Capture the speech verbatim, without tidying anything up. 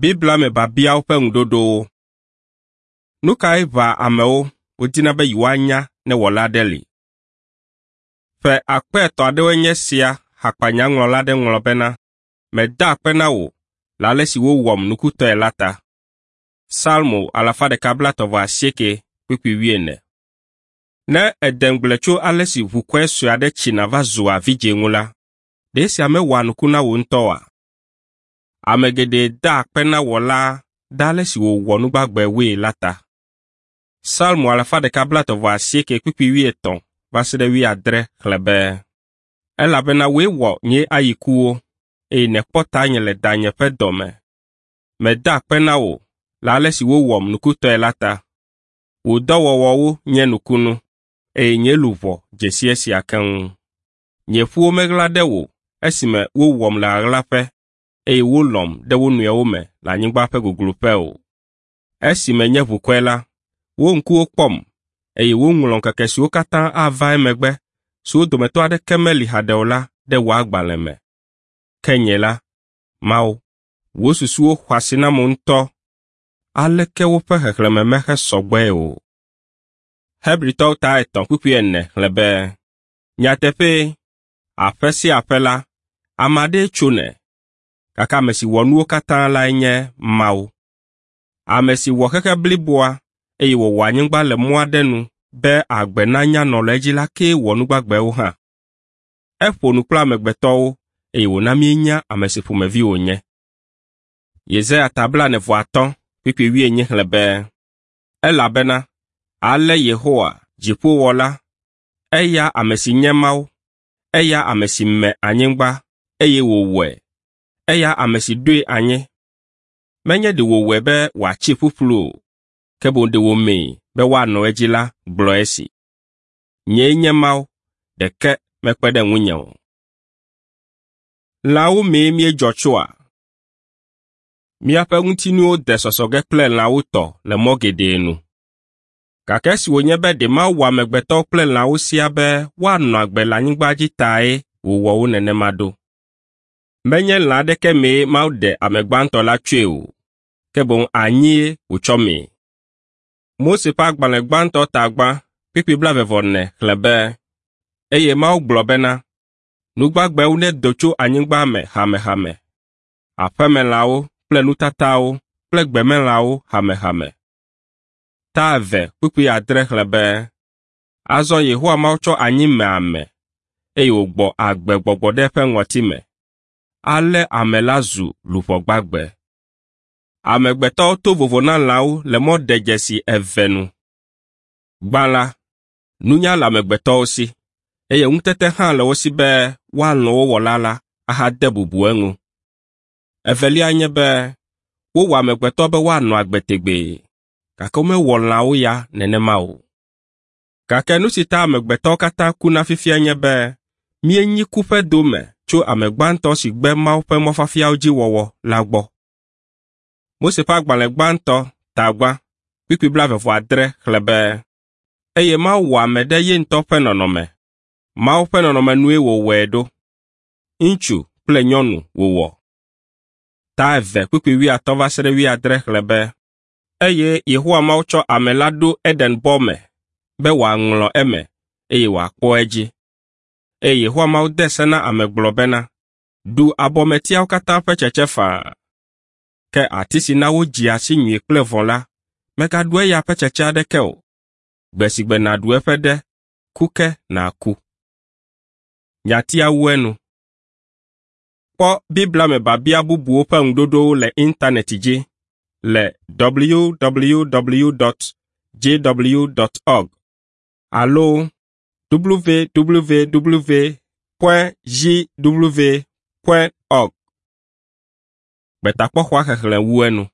Biblia me biabiawo ƒe ŋuɖoɖowo. Nu kae ʋãa amewo wodina be yewoanya ne wɔla aɖe li? Ƒe akpe etɔ̃ aɖewoe nye esia hakpanyaŋlɔla aɖe ŋlɔ bena, “Meda akpe na wò le ale si wowɔm nukutɔe la ta.” Salmo alafa ɖeka blaetɔ̃ vɔ asieke kpukpui wuiene. Ne ède ŋugble tso ale si ʋukɔe sue aɖe tsina va zua vidzĩ ŋu la, ɖe esia mewɔa nuku na wò ŋutɔ oa? Ame geɖe daa akpe na Wɔlaa ɖe ale si wòwɔ nu gbagbewoe la ta. Salmo alafa ɖeka blaetɔ̃ vɔ asieke kpukpui wuietɔ̃ va se ɖe wuiadre xlẽ be, “Elabena wòe wɔ nye ayikuwo, eye nèkpɔ tanye le danye ƒe dɔ me. Meda akpe na wò le ale si wowɔm nukutɔe la ta. Wò dɔwɔwɔwo nye nukunu, eye nye luʋɔ dze si esia keŋ. Nye ƒuwo meɣla ɖe wò esime wowɔm le ɣaɣlaƒe eye wolɔ̃m ɖe wo nɔewo me le anyigba ƒe gogloƒe o. Esi menye ʋukɔe la, wo ŋkuwo kpɔm, eye woŋlɔ ŋkeke siwo katã ava emegbe, siwo dometɔ aɖeke meli haɖe o la ɖe wò agbalẽ me. Ke nye la, Mawu, wò susuwo xɔ asi nam ŋutɔ. Aleke woƒe xexlẽme mehesɔ gbɔe o.” Hebritɔwo ta etɔ̃ kpukpui ene xlẽ be, “Nyateƒee, aƒe sia aƒe la, ame aɖee tsonɛ, gake ame si wɔ nuwo katã lae nye Mawu. Ame si wɔ xexe bliboa eye wòwɔ anyigba le mɔ aɖe nu be agbe nanya nɔ le edzi la kee wɔ nu gbagbewo hã. Eƒo nu kple amegbetɔwo eye wòna míenya ame si ƒomevi wònye. Yesaya ta blaene vɔ atɔ̃ kpukpui wuienyi xlẽ be, “Elabena ale Yehowa, dziƒowɔla, eya ame si nye Mawu, eya ame si me anyigba eye wòwɔe, eya ame si ɖoe anyi. Menye ɖe wòwɔe be wòatsi ƒuƒlu o, ke boŋ ɖe wòmee be woanɔ edzi la gblɔ esi. Nyee nye Mawu, ɖeke mekpe ɖe ŋunye o. Lãwo mee míedzɔ tsoa? Míaƒe ŋutinuwo de sɔsɔ ge kple lãwo tɔ le mɔ geɖe nu. Gake esi wònye be ɖe Mawu wɔ amegbetɔwo kple lãwo siaa be woanɔ agbe le anyigba dzi tae wòwɔ wo nenema ɖo. Menye lã aɖeke mee Mawu ɖe ame gbãtɔ la tsoe o, ke boŋ anyie wòtsɔ mee. Mose ƒe agbalẽ gbãtɔ ta gbã kpukpui blaeve-vɔ-ene xlẽ be, “Eye Mawu gblɔ bena, nu gbagbewo nedo tso anyigba me hamehame, aƒemelãwo kple nutatawo kple gbemelãwo hamehame.” Ta eve kpukpui adre xlẽ be, “Azɔ Yehowa Mawu tsɔ anyi me ame, eye wògbɔ agbe gbɔgbɔ ɖe eƒe ŋɔti me. Ale ame la zu luʋɔ gbagbe.” Amegbetɔwo to vovo na lãwo le mɔ ɖedzesi eve nu. Gbã la, nunya le amegbetɔwo si, eye ŋutete hã le wo si be woalɔ̃ wo wɔla la ahade bubu eŋu. Evelia nye be wowɔ amegbetɔ be woanɔ agbe tegbee, gake womewɔ lãwo ya nenema o. Gake nu si ta amegbetɔwo katã kuna fifia nye be míenyi ku ƒe dome tso ame gbãtɔ si gbe Mawu ƒe mɔfiafiawo dzi wɔwɔ la gbɔ. Mose ƒe agbalẽ gbãtɔ ta gbã kpukpui blaeve vɔ adre xlẽ be, “Eye Mawu wɔ ame ɖe ye ŋutɔ ƒe nɔnɔme. Mawu ƒe nɔnɔme nue wòwɔe ɖo. Ŋutsu kple nyɔnu wòwɔ.” Ta eve kpukpui wuiatɔ̃ va se ɖe wuiadre xlẽ be, “Eye Yehowa Mawu tsɔ ame la ɖo Eden bɔ me be wòaŋlɔ eme eye wòakpɔ edzi. Eye Yehowa Mawu de se na ame gblɔ bena, ‘Ɖu abɔmetiawo katã ƒe tsetse faa, ke ati si na wodzea si nyui kple vɔ̃ la, mègaɖu eya ƒe tsetse aɖeke o. Gbe si gbe nàɖu eƒe ɖe, ku ke nàku.’ ” Nyatia wu enu. Kpɔ Biblia me biabia bubuwo ƒe ŋuɖoɖowo le intanɛti dzi le www dot jw dot org alo www point jw point org. Gbetakpɔxɔa xexlẽ wu enu.